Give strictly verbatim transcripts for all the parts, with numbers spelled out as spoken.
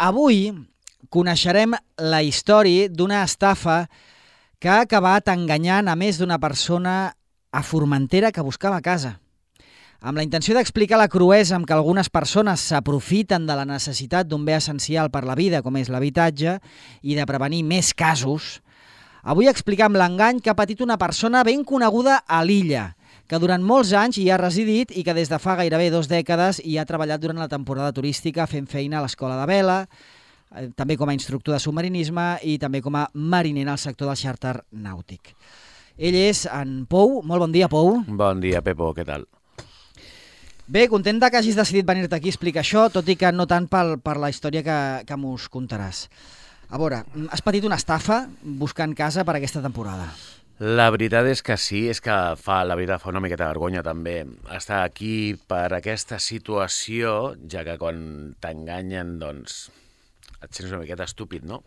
Avui coneixerem la història d'una estafa que ha acabat enganyant a més d'una persona a Formentera que buscava casa. Amb la intenció d'explicar la cruesa amb què algunes persones s'aprofiten de la necessitat d'un bé essencial per la vida, com és l'habitatge, i de prevenir més casos, avui explicam l'engany que ha patit una persona ben coneguda a l'illa, que durant molts anys hi ha residit i que des de fa gairebé dos dècades hi ha treballat durant la temporada turística fent feina a l'escola de vela, també com a instructor de submarinisme i també com a mariner en el sector del xàrter nàutic. Ell és en Pou. Molt bon dia, Pou. Bon dia, Pepo, què tal? Bé, contenta que hagis decidit venir-te aquí a explicar això, tot i que no tant per, per la història que, que mos contaràs. A veure, has patit una estafa buscant casa per aquesta temporada. La veritat és que sí, és que fa, la veritat fa una miqueta de vergonya també estar aquí per aquesta situació, ja que quan t'enganyen, doncs, et sents una miqueta estúpid, no?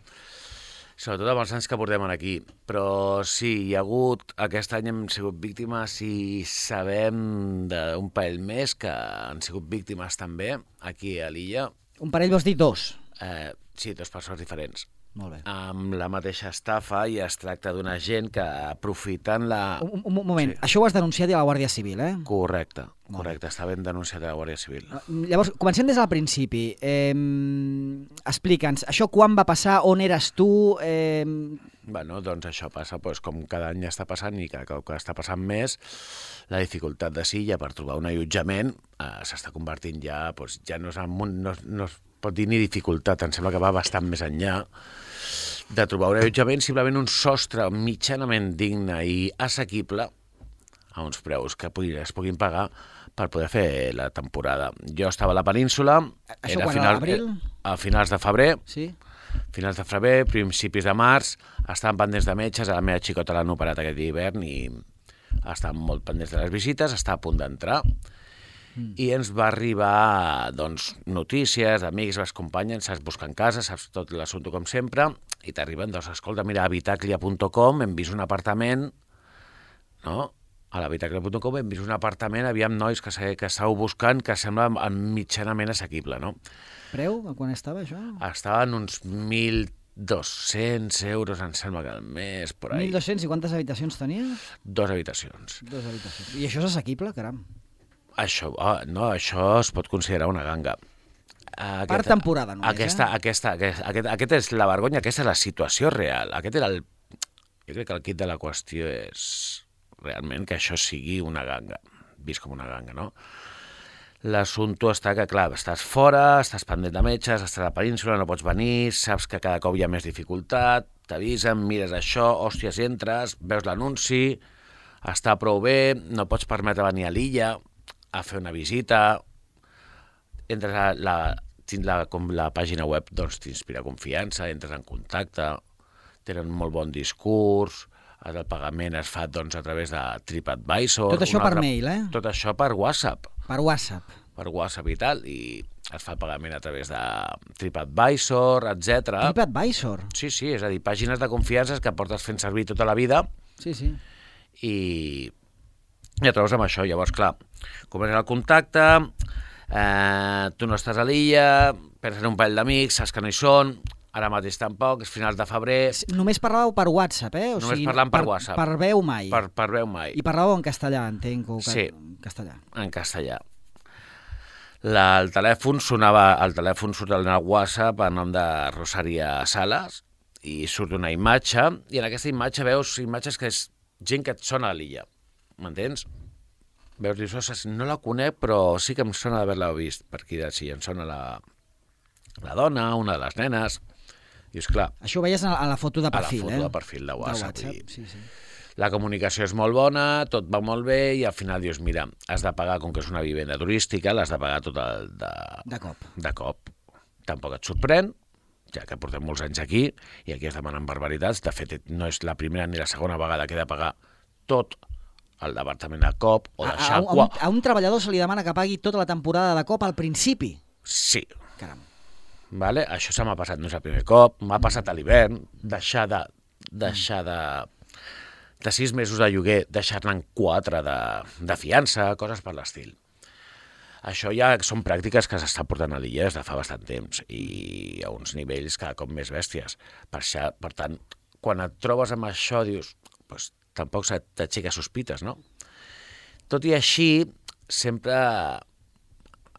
Sobretot amb els anys que portem aquí. Però sí, hi ha hagut, aquest any hem sigut víctimes i sabem d'un parell més que han sigut víctimes també aquí a l'illa. Un parell vols dir dos? Eh, sí, dues persones diferents. Molt bé. Amb la mateixa estafa i es tracta d'una gent que aprofiten la... Un, un moment, sí. Això ho has denunciat a la Guàrdia Civil, eh? Correcte, correcte, està ben denunciat a la Guàrdia Civil. Llavors, comencem des del principi. Eh, Explica'ns, això quan va passar, on eres tu? Eh... Bueno, doncs això passa doncs, com cada any està passant i cada cop que està passant més, la dificultat de Silla per trobar un allotjament eh, s'està convertint ja, doncs, ja no, és un, no, no es pot dir ni dificultat, em sembla que va bastant més enllà de trobar un allotjament, simplement un sostre mitjanament digne i assequible a uns preus que es puguin pagar per poder fer la temporada. Jo estava a la península, això era quan, final, a l'abril? A finals de febrer, sí. finals de febrer, principis de març, estaven pendents de metges, a la meva xicota l'han operat aquest hivern i estaven molt pendents de les visites, està a punt d'entrar. Mm. I ens va arribar doncs, notícies d'amics, les companyes, saps buscant casa, saps tot l'assumpte com sempre, i t'arriben, doncs, escolta, mira, a habitaclia punt com hem vist un apartament, no? A l'habitaclia punt com hem vist un apartament, aviam nois que, que estàveu buscant, que sembla mitjanament assequible, no? Preu? A quan estava això? Estaven uns mil dos-cents euros, em sembla que al mes, por ahí. mil dos-cents i quantes habitacions tenia? Dos habitacions. Dos habitacions. I això és assequible, caram? Això, oh, no, això es pot considerar una ganga. Aquesta, per temporada només, aquesta, eh? Aquesta, aquesta, aquest, aquest és la vergonya, aquesta és la situació real. Aquest era el... Jo crec que el quid de la qüestió és realment que això sigui una ganga, vist com una ganga, no? L'assumpte està que, clar, estàs fora, estàs pendent de metges, estàs a la península, no pots venir, saps que cada cop hi ha més dificultat, t'avisen, mires això, hòsties, entres, veus l'anunci, està prou bé, no pots permetre venir a l'illa a fer una visita, entres a la, la, com la pàgina web, doncs t'inspira confiança, entres en contacte, tenen molt bon discurs, el pagament es fa doncs, a través de TripAdvisor. Tot això per altra, mail, eh? Tot això per WhatsApp. Per WhatsApp. Per WhatsApp i tal, i es fa el pagament a través de TripAdvisor, etcètera. TripAdvisor? Sí, sí, és a dir, pàgines de confiança que portes fent servir tota la vida. Sí, sí. I... I et trobes amb això, llavors, clar, comences el contacte, eh, tu no estàs a l'illa, penses en un parell d'amics, saps que no hi són, ara mateix tampoc, és finals de febrer... Només parlàveu per WhatsApp, eh? O Només sigui, parlant per, per WhatsApp. Per veu mai. Per, per veu mai. I parlàveu en castellà, entenc, o sí, en castellà. En castellà. La, el telèfon sonava, el telèfon surt al WhatsApp a nom de Rosaria Salas, i surt una imatge, i en aquesta imatge veus imatges que és gent que et sona a l'illa. M'entens? Veus, dius, no la conec, però sí que em sona d'haver-la vist per aquí de si em sona la, la dona, una de les nenes. Dius, clar... Això ho veies a la foto de perfil, eh? A la foto eh? de perfil de WhatsApp. De WhatsApp, sí, sí. La comunicació és molt bona, tot va molt bé, i al final dius, mira, has de pagar, com que és una vivenda turística, l'has de pagar tot el de... De cop. De cop. Tampoc et sorprèn, ja que portem molts anys aquí, i aquí es demanen barbaritats. De fet, no és la primera ni la segona vegada que he de pagar tot el departament a cop o deixar... A, a, un, a, un, a un treballador se li demana que pagui tota la temporada de cop al principi? Sí. Caram. Vale? Això se m'ha passat, no és el primer cop, m'ha passat a l'hivern, deixar de... deixar de... de sis mesos de lloguer, deixar-ne en quatre de, de fiança, coses per l'estil. Això ja són pràctiques que s'estan portant a l'illa des de fa bastant temps i a uns nivells cada cop més bèsties. Per, això, per tant, quan et trobes amb això, dius, pues, tampoc t'aixeca sospites, no? Tot i així, sempre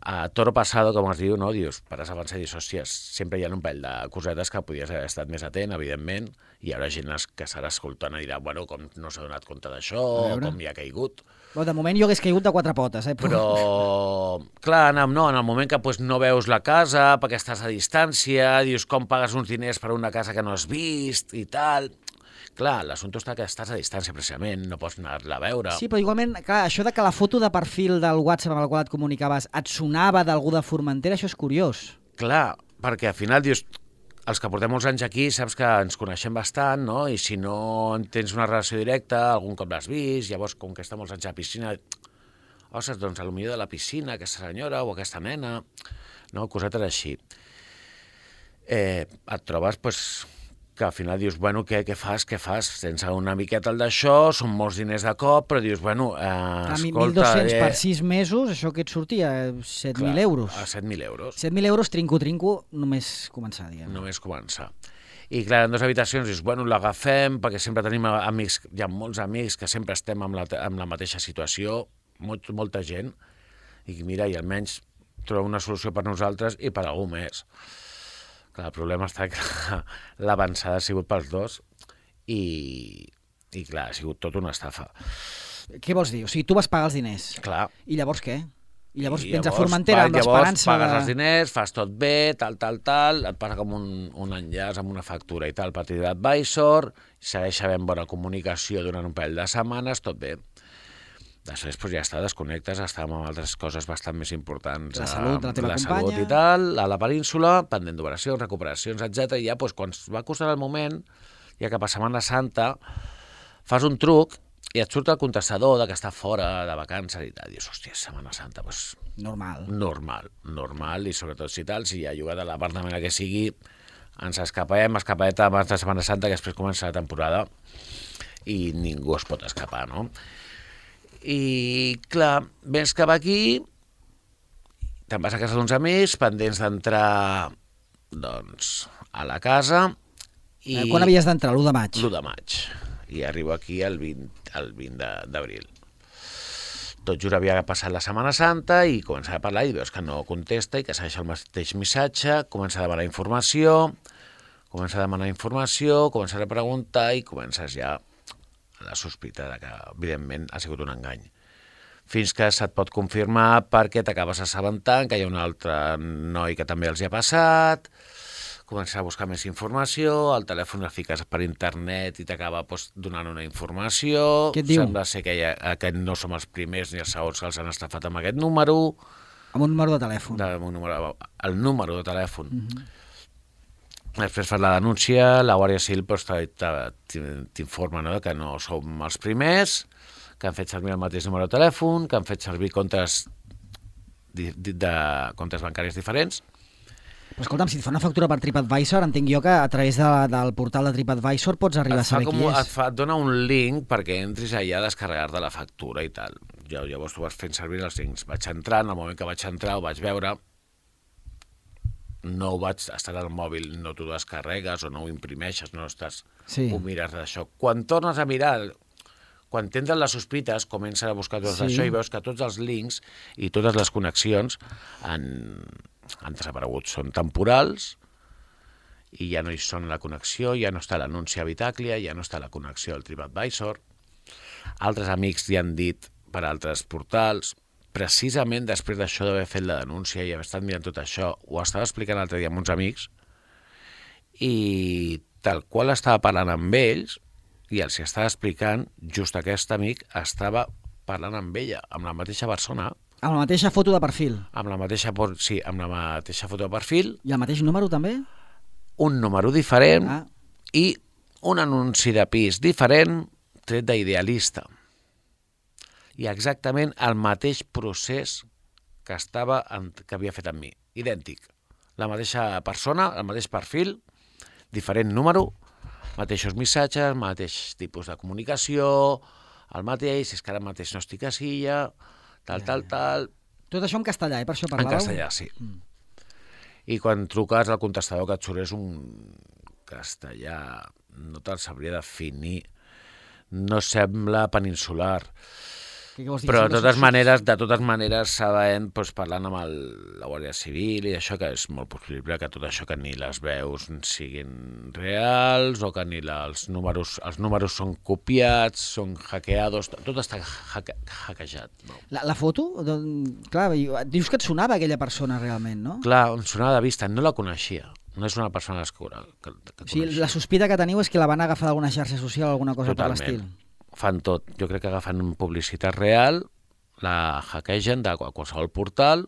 a toro passado, com es diu, no? Dius, pares avançar i dius, hòsties, sempre hi ha un parell de cosetes que podies haver estat més atent, evidentment, i hi haurà gent que serà escoltant i dirà, bueno, com no s'ha donat compte d'això, com hi ha caigut. Però de moment jo hagués caigut de quatre potes, eh? Però, clar, no, en el moment que pues, no veus la casa, perquè estàs a distància, dius com pagues uns diners per una casa que no has vist i tal... Clar, l'assumpte està que estàs a distància, precisament, no pots anar-la a veure. Sí, però igualment, clar, això de que la foto de perfil del WhatsApp amb el qual et comunicaves et sonava d'algú de Formentera, això és curiós. Clar, perquè al final dius... Els que portem molts anys aquí saps que ens coneixem bastant, no? I si no tens una relació directa, algun cop l'has vist, llavors, com que està molts anys a la piscina, ostres, doncs, a lo millor de la piscina, aquesta senyora o aquesta nena, no? Cosetes així. Eh, et trobes, doncs, que al final dius, bueno, què, què fas, què fas? Tens una miqueta el d'això, són molts diners de cop, però dius, bueno, eh, escolta... mil dos-cents eh... per sis mesos, això que et sortia? set mil euros. A set mil euros. set mil euros, trinco-trinco, només començar, diguem. Només començar. I clar, en dues habitacions dius, bueno, l'agafem, perquè sempre tenim amics, hi ha molts amics que sempre estem amb la, amb la mateixa situació, molt, molta gent, i mira, i almenys trobar una solució per nosaltres i per algú més. Clar, el problema està que l'avançada ha sigut pels dos i, i clar, ha sigut tot una estafa. Què vols dir? O sigui, tu vas pagar els diners. Clar. I llavors què? I llavors I vens llavors, a Formentera amb l'esperança de... Llavors pagues els diners, fas tot bé, tal, tal, tal, et passa com un, un enllaç amb una factura i tal, per TripAdvisor, segueix havent bona comunicació durant un parell de setmanes, tot bé. Després doncs, ja està, desconnectes, estàvem amb altres coses bastant més importants. La salut de la teva la companya. Salut i tal, a la península, pendent d'operacions, recuperacions, etcètera. I ja, doncs, quan va costar el moment, ja cap a Setmana Santa, fas un truc i et surt el contestador de que està fora de vacances i tal. Dius, hòstia, Setmana Santa, doncs... Normal. Normal, normal, i sobretot si tal, si hi ha llogat a l'apartament que sigui, ens escapem, escapadeta abans de Setmana Santa, que després comença la temporada, i ningú es pot escapar, no? I, clar, vens cap aquí, te'n vas a casa d'uns amics, pendents d'entrar, doncs, a la casa... I... Quan havies d'entrar? l'u de maig? l'u de maig. I arribo aquí el vint, el vint d'abril. Tot just havia passat la Setmana Santa i comença a parlar i veus que no contesta i que segueix el mateix missatge, comença a demanar informació, comença a demanar informació, comença a preguntar i comences ja la sospita de que, evidentment, ha sigut un engany. Fins que se't pot confirmar perquè t'acabes assabentant que hi ha un altre noi que també els hi ha passat, comences a buscar més informació, al telèfon el fiques per internet i t'acaba doncs, donant una informació. Què et diu? Sembla ser que, ha, que no som els primers ni els segons que els han estafat amb aquest número. Amb un número de telèfon. De, un número, el número de telèfon. Uh-huh. Després fas la denúncia, la Guàrdia Civil doncs, t'informa, no?, que no som els primers, que han fet servir el mateix número de telèfon, que han fet servir comptes, de, de, comptes bancaris diferents. Però escolta'm, si et fa una factura per TripAdvisor, entenc jo que a través de, del portal de TripAdvisor pots arribar a saber com, qui és. Et, fa, et dona un link perquè entris allà a descarregar-te la factura i tal. Jo, llavors tu vas fent servir els links. Vaig entrar, en el moment que vaig entrar ho vaig veure, no ho vaig estar al mòbil, no t'ho descarregues o no ho imprimeixes, no estàs, sí. Ho mires d'això. Quan tornes a mirar, quan t'entren les sospites, comences a buscar tot sí. Això i veus que tots els links i totes les connexions han, han desaparegut. Són temporals i ja no hi són la connexió, ja no està l'anunci a Bitàclia, ja no està la connexió al TripAdvisor. Altres amics li han dit per altres portals. Precisament després d'això d'haver fet la denúncia i haver estat mirant tot això, ho estava explicant l'altre dia amb uns amics i tal qual estava parlant amb ells i els estava explicant, just aquest amic estava parlant amb ella, amb la mateixa persona. Amb la mateixa foto de perfil? Amb la mateixa, sí, amb la mateixa foto de perfil. I el mateix número també? Un número diferent ah. i un anunci de pis diferent tret d'Idealista. I exactament el mateix procés que, estava en, que havia fet amb mi. Idèntic. La mateixa persona, el mateix perfil, diferent número, mateixos missatges, mateix tipus de comunicació, el mateix, és que ara mateix no estic a Silla, tal, tal, tal, Tot això en castellà, eh? Per això parlàveu? En castellà, sí. Mm. I quan truques al contestador que et surt és un castellà, no te'l sabria definir, no sembla peninsular, però de totes maneres, de totes maneres sabent, doncs, parlant amb el, la Guàrdia Civil i això, que és molt possible que tot això, que ni les veus siguin reals o que ni la, els números els números són copiats, són hackeados, tot està hacke, hackejat. No? La, la foto? Doncs, clar, dius que et sonava aquella persona realment, no? Clar, em sonava de vista, no la coneixia. No és una persona que, que, que o sigui, la sospita que teniu és que la van agafar d'alguna xarxa social o alguna cosa Totalment. Per l'estil. Fan tot. Jo crec que agafen publicitat real, la hackegen de qualsevol portal,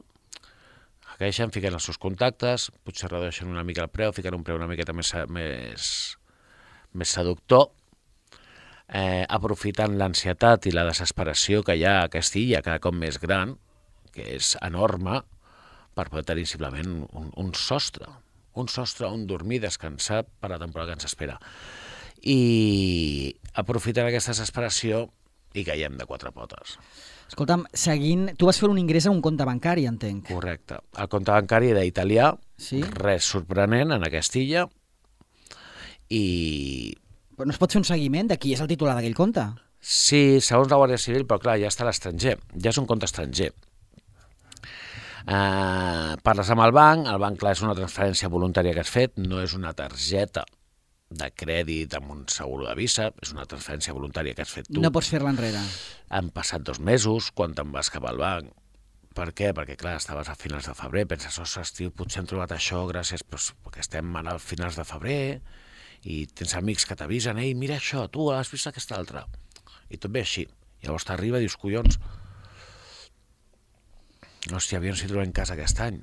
hackegen, fiquen els seus contactes, potser redueixen una mica el preu, fiquen un preu una miqueta més, més, més seductor, eh, aprofitant l'ansietat i la desesperació que hi ha a aquesta illa cada cop més gran, que és enorme, per poder tenir simplement un, un sostre. un sostre on dormir, descansar per la temporada que ens espera. I aprofitant aquesta desesperació i caiem de quatre potes. Escolta'm, seguint... Tu vas fer un ingrés a un compte bancari, entenc. Correcte. El compte bancari era italià, sí? Res sorprenent en aquesta illa, i... Però no es pot fer un seguiment de qui és el titular d'aquell compte? Sí, segons la Guàrdia Civil, però clar, ja està a l'estranger, ja és un compte estranger. Uh, parles amb el banc, el banc, clar, és una transferència voluntària que has fet, no és una targeta de crèdit amb un seguro de Visa, és una transferència voluntària que has fet tu. No pots fer-la enrere. Han passat dos mesos quan te'n vas cap al banc. Per què? Perquè, clar, estaves a finals de febrer, penses, ostres, tio, potser hem trobat això gràcies, doncs, perquè estem a finals de febrer i tens amics que t'avisen, ei, mira això, tu has vist aquesta altra. I tot ve així. Llavors t'arriba i dius, collons, hòstia, aviam si trobem casa aquest any,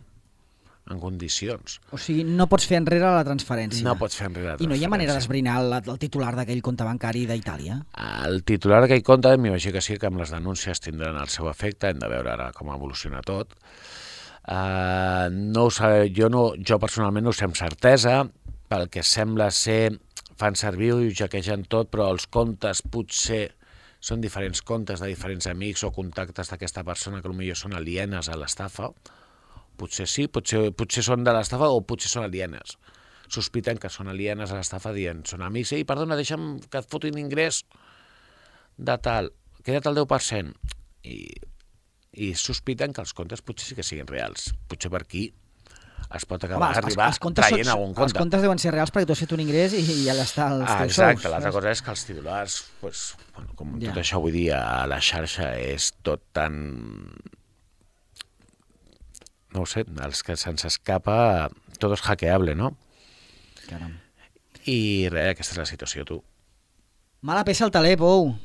en condicions. O sigui, no pots fer enrere la transferència. No pots fer enrere la transferència. I no hi ha manera d'esbrinar el, el titular d'aquell compte bancari d'Itàlia? El titular d'aquell compte, m'imagino que sí, que amb les denúncies tindran el seu efecte, hem de veure ara com evoluciona tot. Uh, no ho sé, jo, no, jo personalment no ho sé amb certesa, pel que sembla ser, fan servir i ho jaquegen tot, però els comptes potser són diferents comptes de diferents amics o contactes d'aquesta persona que potser són alienes a l'estafa. Potser sí, potser, potser són de l'estafa o potser són alienes. Sospiten que són alienes a l'estafa dient, són amics, i perdona, deixa'm que et fotin ingrés de tal, queda't el deu per cent. I, i sospiten que els comptes potser sí que siguin reals. Potser per aquí es pot acabar Home, d'arribar traient algun compte. Els comptes deuen ser reals perquè tu has fet un ingrés i, i allà està els ah, teus exacte, sous. L'altra cosa és que els titulars, pues, bueno, com ja. Tot això, vull dir, a la xarxa és tot tan... No ho sé, els que se'ns escapa, tot és hackeable, no? Caram. I res, aquesta és la situació, tu. Mala peça al taler, Pou.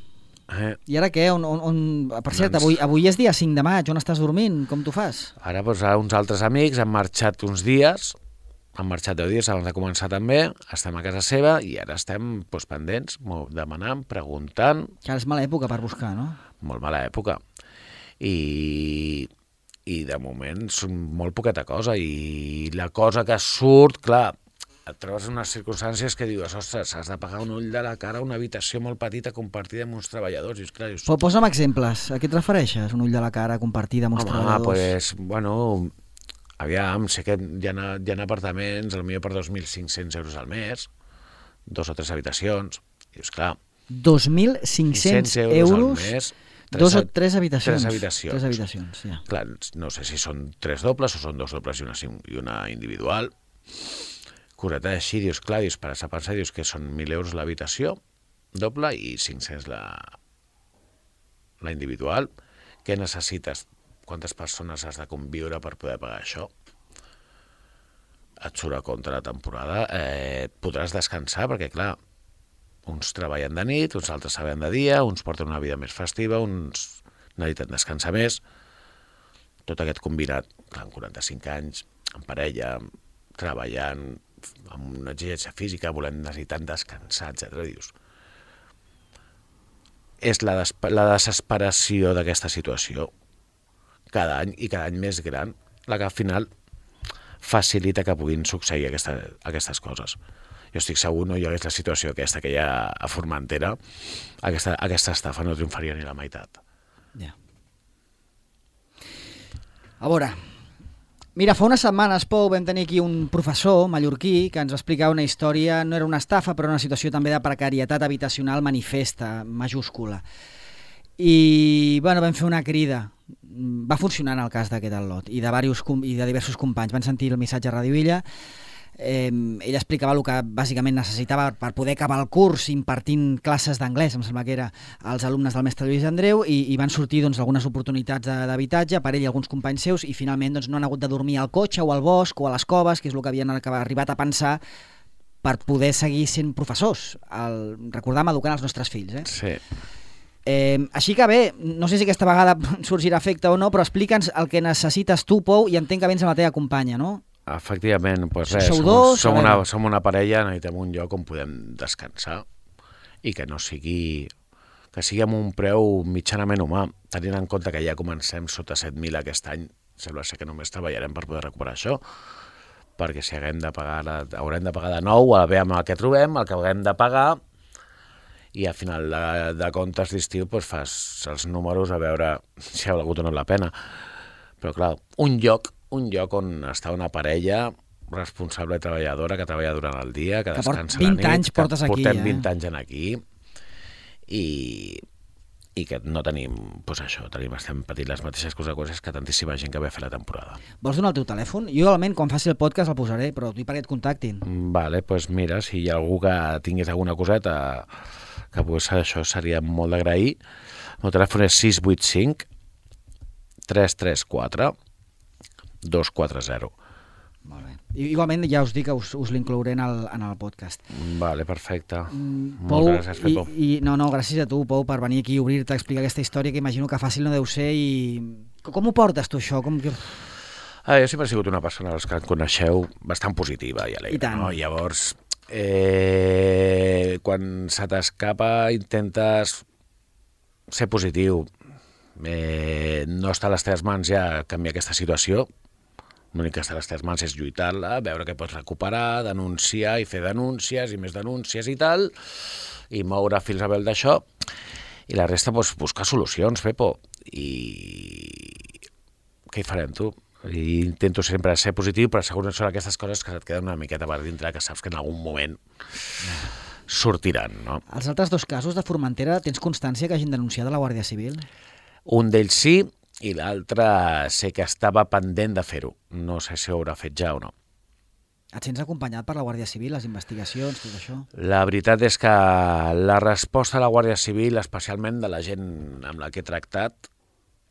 Eh. I ara què? On, on, on... Per cert, avui, avui és dia cinc de maig, on estàs dormint? Com t'ho fas? Ara doncs, uns altres amics han marxat uns dies, han marxat deu dies abans de començar també, estem a casa seva i ara estem doncs, pendents, demanant, preguntant... Que ara és mala època per buscar, no? Molt mala època. I, i de moment són molt poqueta cosa i la cosa que surt, clar, et trobes en unes circumstàncies que dius, ostres, has de pagar un ull de la cara a una habitació molt petita compartida amb uns treballadors. I, clar, dius, Però posa'm exemples. A què et refereixes? Un ull de la cara compartida amb uns home, treballadors? Pues, bueno, aviam, sé que hi ha, hi ha apartaments, potser per dos mil cinc-cents euros al mes, dos o tres habitacions. I dius, clar... dos mil cinc-cents euros al mes, tres, dos o tres habitacions. Tres habitacions. Tres habitacions, ja. Clar, no sé si són tres dobles o són dos dobles i una, i una individual. Correcte, així, dius, clar, dius, per a pensar, dius que són mil euros l'habitació doble i cinc-cents la, la individual. Què necessites? Quantes persones has de conviure per poder pagar això? Et surt a compte la temporada. Eh, podràs descansar perquè, clar, uns treballen de nit, uns altres treballen de dia, uns porten una vida més festiva, uns necessiten descansar més. Tot aquest combinat, clar, amb quaranta-cinc anys, en parella, treballant, amb una exigència física, volem necessitant descansar, etcètera. Dius, és la, des la desesperació d'aquesta situació cada any i cada any més gran la que al final facilita que puguin succeir aquesta, aquestes coses. Jo estic segur, no hi hagués la situació aquesta que hi ha a Formentera, aquesta, aquesta estafa no triomfaria ni la meitat. Ja. A veure, mira, fa unes setmanes, Pou, vam tenir aquí un professor mallorquí que ens va explicar una història, no era una estafa, però una situació també de precarietat habitacional manifesta, majúscula. I, bueno, vam fer una crida. Va funcionar en el cas d'aquest al·lot i de, diversos, i de diversos companys. Van sentir el missatge a Ràdio Illa. Eh, ell explicava el que bàsicament necessitava per poder acabar el curs impartint classes d'anglès, em sembla que era als alumnes del mestre Lluís Andreu, i, i van sortir doncs, algunes oportunitats d'habitatge per ell i alguns companys seus, i finalment doncs, no han hagut de dormir al cotxe o al bosc o a les coves, que és el que havien arribat a pensar per poder seguir sent professors, el, recordàvem, educant els nostres fills. Eh? Sí. Eh, així que bé, no sé si aquesta vegada sorgirà efecte o no, però explica'ns el que necessites tu, Pou, i entenc que vens amb la teva companya, no? Efectivament, doncs res, Sou som, dos, som, a una, veure. som una parella, necessitem un lloc on podem descansar i que no sigui que sigui amb un preu mitjanament humà, tenint en compte que ja comencem sota set mil aquest any, sembla ser que només treballarem per poder recuperar això, perquè si haguem de pagar, haurem de pagar de nou, a veure amb el que trobem, el que haurem de pagar, i al final de, de comptes d'estiu doncs fas els números a veure si ha valgut o no la pena. Però clar, un lloc, un lloc on està una parella responsable i treballadora que treballa durant el dia, que, que descansa vint la nit, anys portes que aquí, portem eh? vint anys en aquí, i, i que no tenim, doncs això, tenim, estem patint les mateixes coses que tantíssima gent que ve a fer la temporada. Vols donar el teu telèfon? Jo, igualment, quan faci el podcast el posaré, però tu perquè et contactin. Vale, doncs mira, si hi ha algú que tingués alguna coseta que pogués ser això, seria molt d'agrair. El meu telèfon és sis vuit cinc tres tres quatre dos quatre zero. Molt bé. I, igualment, ja us dic que us, us l'inclouré en el, en el podcast. Vale, perfecte. Mm, Moltes Pou, gràcies, Pepo. I, i, no, no, gràcies a tu, Pou, per venir aquí i obrir-te a explicar aquesta història, que imagino que fàcil no deu ser. I com ho portes tu, això? Com que... Ah, jo sempre he sigut una persona, els que em coneixeu, bastant positiva i alegre. I tant. No? Llavors, eh, quan se t'escapa intentes ser positiu. Eh, no està a les teves mans ja canviar aquesta situació. L'únic que està a les teves mans és lluitar-la, veure què pots recuperar, denunciar i fer denúncies i més denúncies i tal, i moure fins a veure d'això. I la resta, doncs, buscar solucions, Pepo. I què hi farem, tu? I intento sempre ser positiu, però segons són aquestes coses que et queden una miqueta per dintre, que saps que en algun moment sortiran, no? Els altres dos casos de Formentera, tens constància que hagin denunciat a la Guàrdia Civil? Un d'ells sí, i l'altre sé que estava pendent de fer-ho. No sé si ho haurà fet ja o no. Et sents acompanyat per la Guàrdia Civil, les investigacions, tot això? La veritat és que la resposta a la Guàrdia Civil, especialment de la gent amb la que he tractat,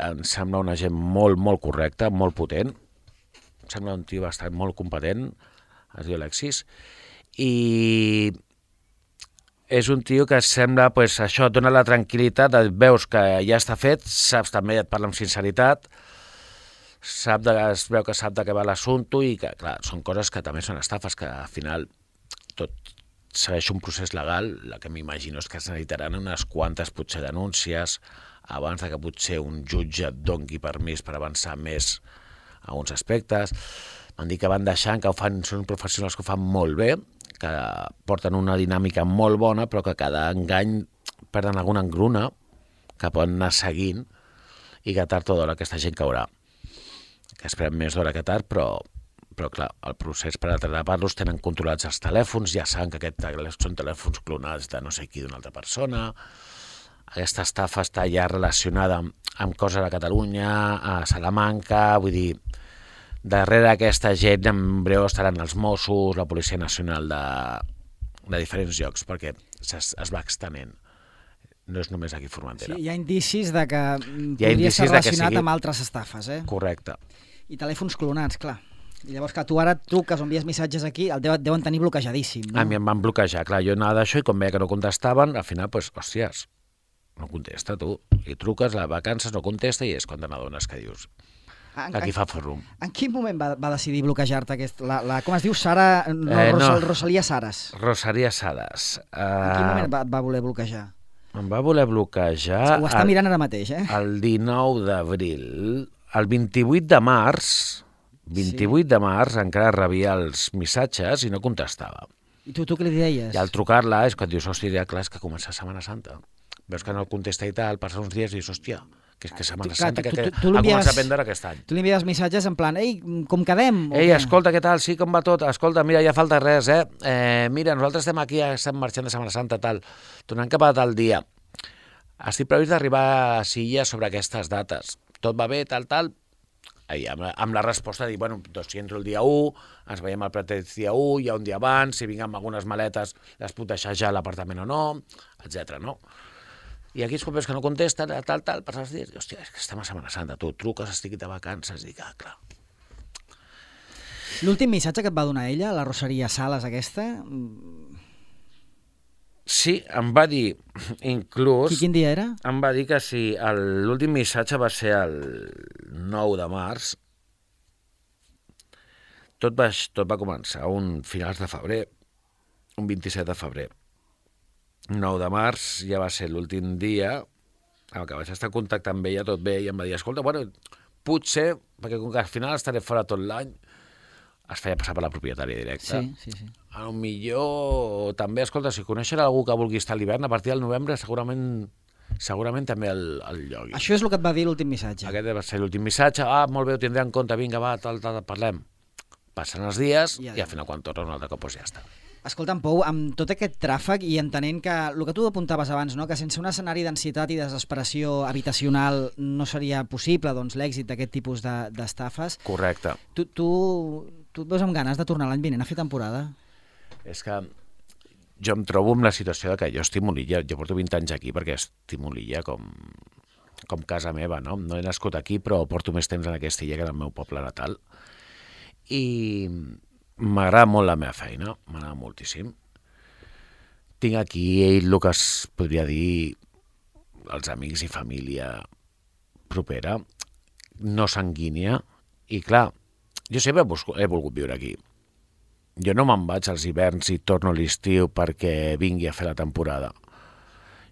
em sembla una gent molt, molt correcta, molt potent. Em sembla un tio bastant molt competent, es diu Alexis, i és un tio que sembla, pues, això et dona la tranquil·litat, veus que ja està fet, saps també, et parla amb sinceritat, sap de, es veu que sap de què va l'assumpte i que, clar, són coses que també són estafes, que al final tot segueix un procés legal, la que m'imagino és que es necessitaran unes quantes, potser, denúncies, abans de que potser un jutge et doni permís per avançar més a uns aspectes. M'han dit que van deixant, que ho fan, són professionals que ho fan molt bé, que porten una dinàmica molt bona, però que cada engany perden alguna engruna que poden anar seguint i que tard o d'hora aquesta gent caurà. Que esperem més d'hora que tard, però, però clar, el procés per atrapar-los tenen controlats els telèfons, ja saben que aquests són telèfons clonats de no sé qui, d'una altra persona. Aquesta estafa està ja relacionada amb, amb coses a Catalunya, a Salamanca, vull dir, darrere aquesta gent en breu estaran els Mossos, la Policia Nacional de, de diferents llocs, perquè es, es va extenent. No és només aquí a Formentera. Sí, hi ha indicis de que Hi ha podria indicis ser de que relacionat sigui- amb altres estafes, eh? Correcte. I telèfons clonats, clar. I llavors que tu ara truques o envies missatges aquí, el deuen, deuen tenir bloquejadíssim, no? A mi em van bloquejar, clar, jo anava d'això i com veia que no contestaven, al final, doncs, hòsties, no contesta tu. I truques, la vacances no contesta i és quan te n'adones que dius, En, aquí en, fa forum. en quin moment va, va decidir bloquejar-te aquest... La, la, com es diu? Sara... No, Eh, no. Rosal, Rosalia Saras. Rosaria Sades. En quin moment Uh, va, va voler bloquejar? em va voler bloquejar Ho està el, mirant ara mateix, eh? el dinou d'abril. El vint-i-vuit de març, vint-i-vuit de març, encara rebia els missatges i no contestava. I tu, tu què li deies? I al trucar-la és quan dius, hòstia, ja clar, és que comença Setmana Santa. Veus que no contesta i tal, passa uns dies i dius, hòstia, que és que Setmana Clar, Santa, tu- que, tu- que tu ha l'envies- començat a prendre aquest any. Tu li envies missatges en plan, ei, com quedem? O Ei, què? escolta, què tal? Sí, com va tot? Escolta, mira, ja falta res, eh? eh mira, nosaltres estem aquí, ja estem marxant de Setmana Santa, tal. Tornem cap a tal dia. Estic previst d'arribar a Silla sobre aquestes dates. Tot va bé, tal, tal. I amb, la, amb la resposta de dir, bueno, doncs si entro el dia u, ens veiem el pretès dia u, ja un dia abans, si vinc amb algunes maletes, les puc deixar ja a l'apartament o no, etcètera, no? I aquí és quan veus que no contesta, tal, tal, per els dies, i, hòstia, és que estem a Setmana Santa, tu truques, estic de vacances, i dic, ah, clar. L'últim missatge que et va donar ella, la Rosaria Sales aquesta, Sí, em va dir, inclús... qui, quin dia era? Em va dir que si el- l'últim missatge va ser el nou de març, tot va, tot va començar un finals de febrer, un vint-i-set de febrer. nou de març ja va ser l'últim dia amb què vaig estar en contacte amb ella, tot bé, i em va dir, escolta, bueno, potser, perquè com que al final estaré fora tot l'any, es feia passar per la propietària directa. Sí, sí, sí. A lo millor també, escolta, si coneixen algú que vulgui estar a l'hivern, a partir del novembre segurament segurament també el, el llogui. Això és el que et va dir l'últim missatge. Aquest va ser l'últim missatge. Ah, molt bé, ho tindré en compte, vinga, va, tal, tal, parlem. Passen els dies I i, ja i al final quan torna un altre cop doncs ja està. Escolta'm, Pou, amb tot aquest tràfic i entenent que el que tu apuntaves abans, no? Que sense un escenari d'ansietat i desesperació habitacional no seria possible doncs, l'èxit d'aquest tipus de- d'estafes, Correcte. tu, tu, tu et veus amb ganes de tornar l'any vinent a fer temporada? És que jo em trobo amb la situació de que jo estimo l'illa, jo porto vint anys aquí perquè estimo l'illa com, com casa meva, no? No he nascut aquí, però porto més temps en aquesta illa que en el meu poble natal. I m'agrada molt la meva feina, m'agrada moltíssim. Tinc aquí el que es podria dir els amics i família propera, no sanguínia, i clar, jo sempre he, busco, he volgut viure aquí. Jo no me'n vaig als hiverns i torno a l'estiu perquè vingui a fer la temporada.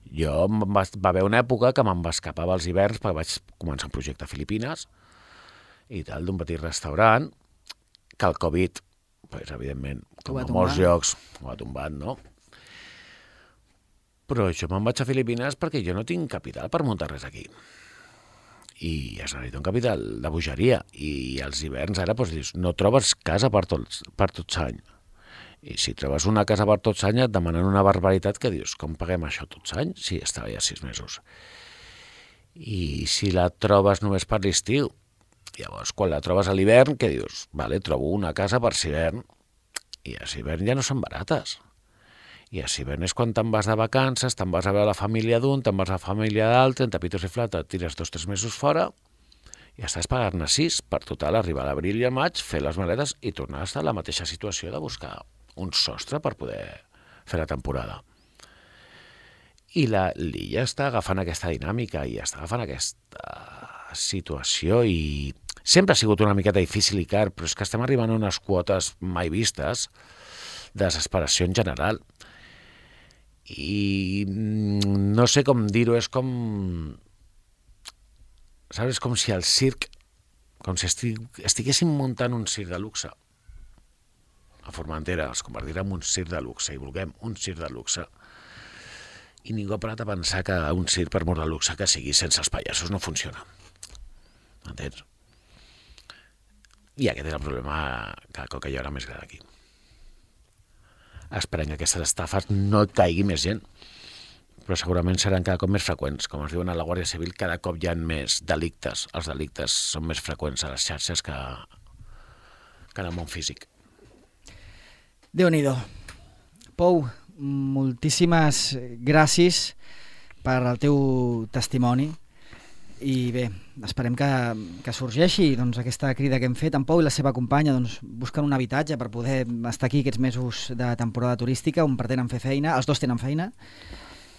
Jo em va, va haver una època que me'n va escapar als hiverns perquè vaig començar un projecte a Filipines i tal, d'un petit restaurant, que el Covid, pues, evidentment, Ho com va a molts tombar. llocs, ho ha tombat, no? Però jo me'n vaig a Filipines perquè jo no tinc capital per muntar res aquí. I es necessita un capital de bogeria. I als hiverns ara doncs, dius, no trobes casa per tots, per tots any. I si trobes una casa per tots any et demanen una barbaritat que dius, com paguem això tots any? Sí, estava ja sis mesos. I si la trobes només per l'estiu, llavors quan la trobes a l'hivern, què dius? Vale, trobo una casa per l'hivern. I a l'hivern ja no són barates. I a l'hivern és quan te'n vas de vacances, te'n vas a veure la família d'un, te'n vas a la família d'altre, en tapitos i flata, et tires dos o tres mesos fora i estàs pagant-ne sis per total arribar a l'abril i al maig, fer les maletes i tornar a estar en la mateixa situació de buscar un sostre per poder fer la temporada. I la- l'illa està agafant aquesta dinàmica i està agafant aquesta situació i sempre ha sigut una miqueta difícil i car, però és que estem arribant a unes quotes mai vistes de desesperació en general. I mm, no sé com dir-ho, és com... Saps? És com si el circ, com si estig, estiguéssim muntant un circ de luxe. A Formentera els convertirà en un circ de luxe i vulguem un circ de luxe. I ningú ha parat a pensar que un circ, per molt de luxe que sigui, sense els pallassos no funciona. Entens? I aquest és el problema que, que hi haurà més gran aquí. Esperem que aquestes estafes no caigui més gent, però segurament seran cada cop més freqüents. Com es diuen a la Guàrdia Civil, cada cop hi ha més delictes. Els delictes són més freqüents a les xarxes que, que en el món físic. Déu-n'hi-do. Pou, moltíssimes gràcies per el teu testimoni i bé, esperem que, que sorgeixi doncs, aquesta crida que hem fet. En Pou i la seva companya doncs, busquen un habitatge per poder estar aquí aquests mesos de temporada turística on pretenen fer feina, els dos tenen feina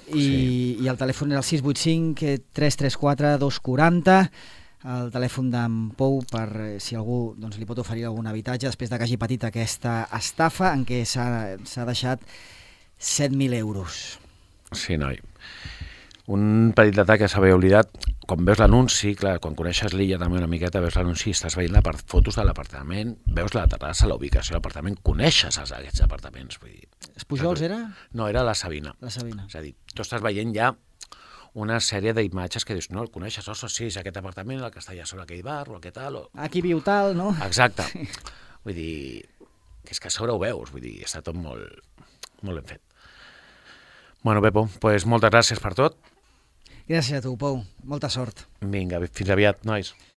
i, Sí. i el telèfon és el sis vuit cinc, tres tres quatre, dos quatre zero, el telèfon d'en Pou per eh, si algú doncs, li pot oferir algun habitatge després de que hagi patit aquesta estafa en què s'ha s'ha deixat set mil euros. Sí, noi. Un petit detall que s'havia oblidat, quan veus l'anunci, clar, quan coneixes l'illa també una miqueta, veus l'anunci, estàs veient les fotos de l'apartament, veus la terrassa, la ubicació de l'apartament, coneixes els, aquests apartaments. Vull dir, Els Pujols era? no, era la Sabina. La Sabina. És a dir, tu estàs veient ja una sèrie d'imatges que dius, no, el coneixes, ostres, sí, és aquest apartament, el que està allà sobre aquell bar, o aquest tal, o... Aquí viu tal, no? Exacte. Vull dir, que és que a sobre ho veus, vull dir, està tot molt, molt ben fet. Bueno, Pepo, pues moltes gràcies per tot. Gràcies a tu, Pou. Molta sort. Vinga, fins aviat, nois.